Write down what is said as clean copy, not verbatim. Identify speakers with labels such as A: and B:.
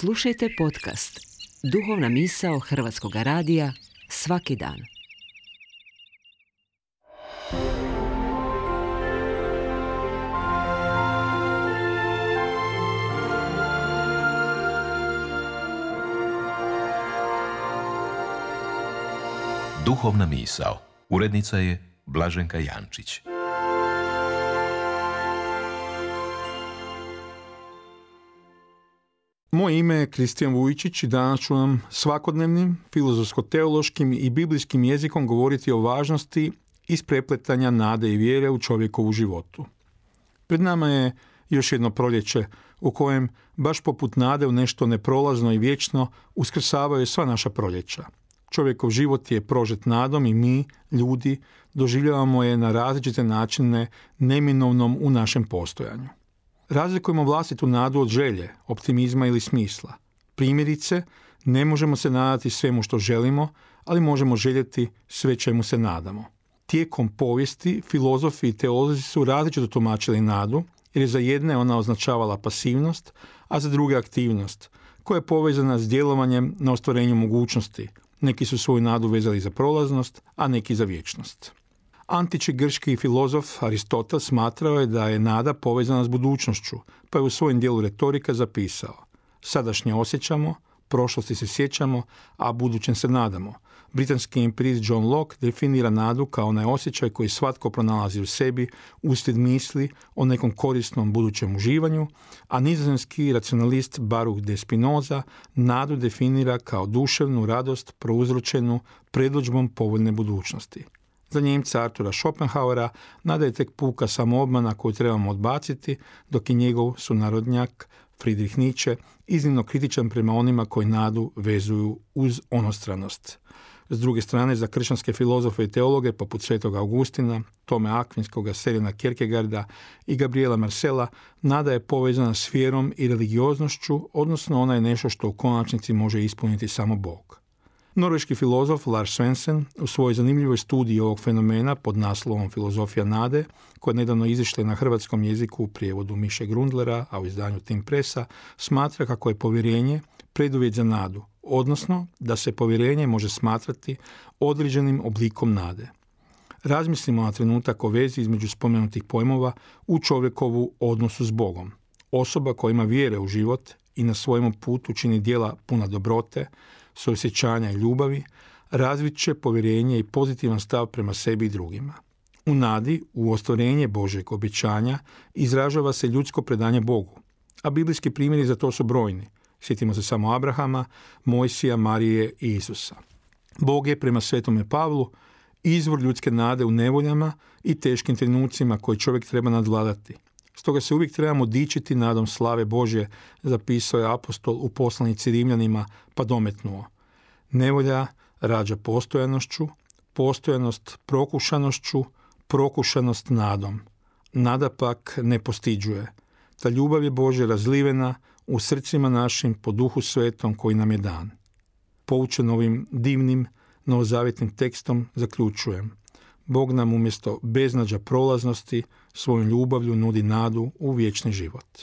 A: Slušajte podcast Duhovna misao Hrvatskog radija svaki dan.
B: Duhovna misao. Urednica je Blaženka Jančić.
C: Moje ime je Kristijan Vujčić i danas ću vam svakodnevnim, filozofsko-teološkim i biblijskim jezikom govoriti o važnosti isprepletanja nade i vjere u čovjekovu životu. Pred nama je još jedno proljeće u kojem, baš poput nade u nešto neprolazno i vječno, uskrsavaju sva naša proljeća. Čovjekov život je prožet nadom i mi, ljudi, doživljavamo je na različite načine neminovnom u našem postojanju. Razlikujemo vlastitu nadu od želje, optimizma ili smisla. Primjerice, ne možemo se nadati svemu što želimo, ali možemo željeti sve čemu se nadamo. Tijekom povijesti, filozofi i teolozi su različito tumačili nadu, jer je za jedne ona označavala pasivnost, a za druge aktivnost, koja je povezana s djelovanjem na ostvarenju mogućnosti. Neki su svoju nadu vezali za prolaznost, a neki za vječnost. Antički grčki filozof Aristotel smatrao je da je nada povezana s budućnošću, pa je u svojem dijelu retorika zapisao: sadašnje osjećamo, prošlosti se sjećamo, a budućem se nadamo. Britanski empirist John Locke definira nadu kao onaj osjećaj koji svatko pronalazi u sebi uslijed misli o nekom korisnom budućem uživanju, a nizozemski racionalist Baruch de Spinoza nadu definira kao duševnu radost prouzročenu predodžbom povoljne budućnosti. Za Njemca Artura Schopenhauera nada je tek puka samoobmana koju trebamo odbaciti, dok je njegov sunarodnjak Friedrich Nietzsche iznimno kritičan prema onima koji nadu vezuju uz onostranost. S druge strane, za kršćanske filozofe i teologe poput Svetog Augustina, Tome Akvinskoga, Serena Kierkegaarda i Gabriela Marcela, nada je povezana s vjerom i religioznošću, odnosno ona je nešto što u konačnici može ispuniti samo Bog. Norveški filozof Lars Svensson u svojoj zanimljivoj studiji ovog fenomena pod naslovom Filozofija nade, koja je nedavno izišla na hrvatskom jeziku u prijevodu Miše Grundlera, a u izdanju Tim Pressa, smatra kako je povjerenje preduvjet za nadu, odnosno da se povjerenje može smatrati određenim oblikom nade. Razmislimo na trenutak o vezi između spomenutih pojmova u čovjekovu odnosu s Bogom. Osoba koja ima vjere u život i na svojemu putu čini djela puna dobrote, suosjećanja i ljubavi, razvit će povjerenje i pozitivan stav prema sebi i drugima. U nadi, u ostvarenje Božjeg obećanja, izražava se ljudsko predanje Bogu, a biblijski primjeri za to su brojni. Sjetimo se samo Abrahama, Mojsija, Marije i Isusa. Bog je prema Svetome Pavlu izvor ljudske nade u nevoljama i teškim trenucima koje čovjek treba nadvladati. Stoga se uvijek trebamo dičiti nadom slave Božje, zapisao je apostol u poslanici Rimljanima, pa dometnuo: nevolja rađa postojanošću, postojanost prokušanošću, prokušanost nadom. Nada pak ne postiđuje. Ta ljubav je Božja razlivena u srcima našim po Duhu Svetom koji nam je dan. Poučen ovim divnim novozavjetnim tekstom zaključujem: Bog nam umjesto beznađa prolaznosti svojom ljubavlju nudi nadu u vječni život.